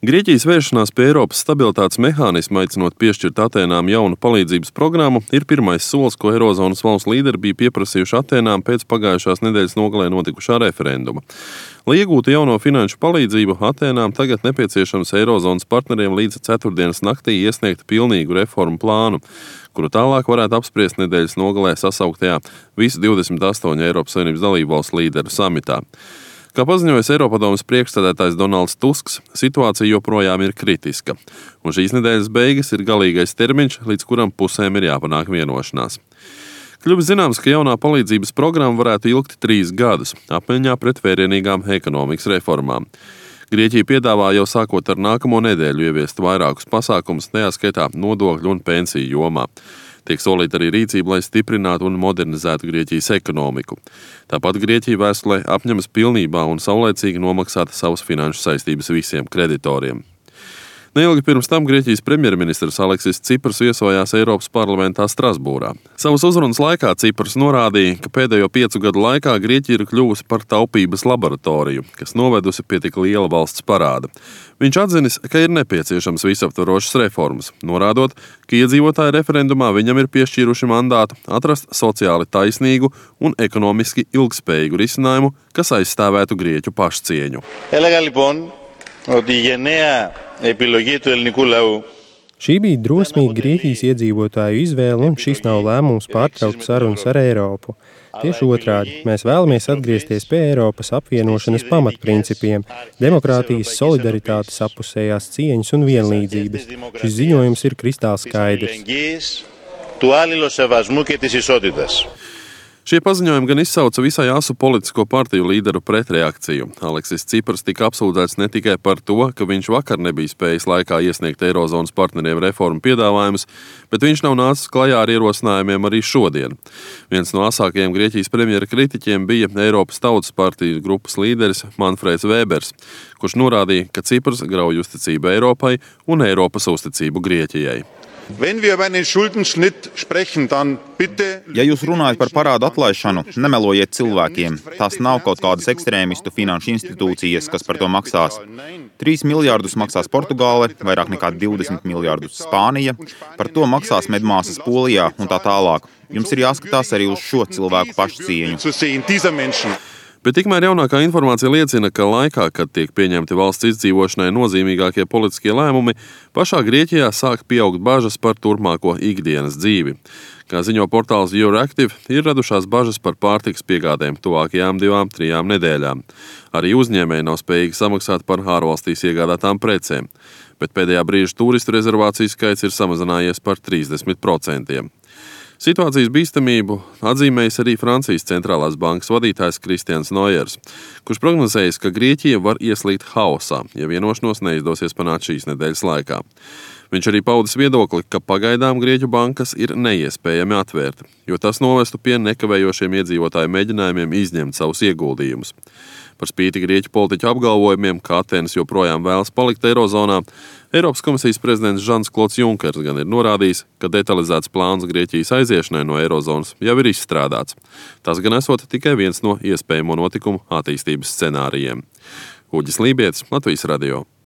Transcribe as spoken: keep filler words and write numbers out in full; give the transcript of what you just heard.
Grieķijas vēršanās pie Eiropas stabilitātes mehānisma, aicinot piešķirt Atēnām jaunu palīdzības programmu, ir pirmais solis, ko Eirozonas valstu līderi bija pieprasījuši Atēnām pēc pagājušās nedēļas nogalē notikušā referenduma. Lai iegūtu jauno finanšu palīdzību, Atēnām tagad nepieciešams Eirozonas partneriem līdz ceturtdienas naktī iesniegt pilnīgu reformu plānu, kuru tālāk varētu apspriest nedēļas nogalē sasauktajā visu divdesmit astoņu Eiropas Savienības dalību valstu līderu samitā. Kā paziņojas Eiropadomes priekšsēdētājs Donalds Tusks, situācija joprojām ir kritiska, un šīs nedēļas beigas ir galīgais termiņš, līdz kuram pusēm ir jāpanāk vienošanās. Kļuvis zināms, ka jaunā palīdzības programma varētu ilgt trīs gadus, apmaiņā pret vērienīgām ekonomikas reformām. Grieķija piedāvā jau sākot ar nākamo nedēļu ieviest vairākus pasākumus, tajā skaitā nodokļu un pensiju jomā. Tiek solīta arī rīcība, lai stiprinātu un modernizētu Grieķijas ekonomiku. Tāpat Grieķija vēstulē apņemas pilnībā un saulēcīgi nomaksāt savas finanšu saistības visiem kreditoriem. Neilgi pirms tam Grieķijas premjerministrs Aleksis Cipras viesojās Eiropas parlamentā Strasbūrā. Savas uzrunas laikā Cipras norādīja, ka pēdējo piecu gadu laikā Grieķija ir kļuvusi par taupības laboratoriju, kas novedusi pie tik liela valsts parāda. Viņš atzinis, ka ir nepieciešams visaptvarošas reformas, norādot, ka iedzīvotāji referendumā viņam ir piešķīruši mandātu atrast sociāli taisnīgu un ekonomiski ilgspējīgu risinājumu, kas aizstāvētu grieķu pašcieņu. Šī bija drosmīga Grieķijas iedzīvotāju izvēle, un šis nav lēmums pārtraukt sarunas ar Eiropu. Tieši otrādi, mēs vēlamies atgriezties pie Eiropas apvienošanas pamatprincipiem – demokrātijas, solidaritātes, appusējās cieņas un vienlīdzības. Šis ziņojums ir kristāli skaidrs. Šie paziņojumi gan izsauca visai asu politisko partiju līderu pretreakciju. Aleksis Cipras tika apsūdzēts ne tikai par to, ka viņš vakar nebija spējis laikā iesniegt Eirozonas partneriem reformu piedāvājumus, bet viņš nav nācis klajā ar ierosinājumiem arī šodien. Viens no asākajiem Grieķijas premjera kritiķiem bija Eiropas Tautas partijas grupas līderis Manfreds Vēbers, kurš norādīja, ka Cipras grauj uzticību Eiropai un Eiropas uzticību Grieķijai. Ja jūs runājat par parādu atlaišanu, nemelojiet cilvēkiem. Tās nav kaut kādas ekstrēmistu finanšu institūcijas, kas par to maksās. Trīs miljārdus maksās Portugāle, vairāk nekā divdesmit miljārdus Spānija, par to maksās medmāsas Polijā un tā tālāk. Jums ir jāskatās arī uz šo cilvēku pašcieņu. Bet tikmēr jaunākā informācija liecina, ka laikā, kad tiek pieņemti valsts izdzīvošanai nozīmīgākie politiskie lēmumi, pašā Grieķijā sāk pieaugt bažas par turpmāko ikdienas dzīvi. Kā ziņo portāls Euractiv, ir radušās bažas par pārtikas piegādēm tuvākajām divām, trijām nedēļām. Arī uzņēmēji nav spējīgi samaksāt par ārvalstīs iegādātām precēm, bet pēdējā brīža turistu rezervāciju skaits ir samazinājies par trīsdesmit procentiem. Situācijas bīstamību atzīmējis arī Francijas centrālās bankas vadītājs Kristians Nojers, kurš prognozējis, ka Grieķija var ieslīgt haosā, ja vienošanos neizdosies panākt šīs nedēļas laikā. Viņš arī paudis viedokli, ka pagaidām Grieķu bankas ir neiespējami atvērt, jo tas novestu pie nekavējošiem iedzīvotāju mēģinājumiem izņemt savus ieguldījumus. Par spīti Grieķu politiķu apgalvojumiem, ka Atēnas joprojām vēlas palikt Eirozonā, Eiropas komisijas prezidents Žans-Klods Junkers gan ir norādījis, ka detalizēts plāns Grieķijas aiziešanai no Eirozonas jau ir izstrādāts. Tas gan esot tikai viens no iespējamo notikumu attīstības scenārijiem. Uģis Lībietis, Latvijas radio.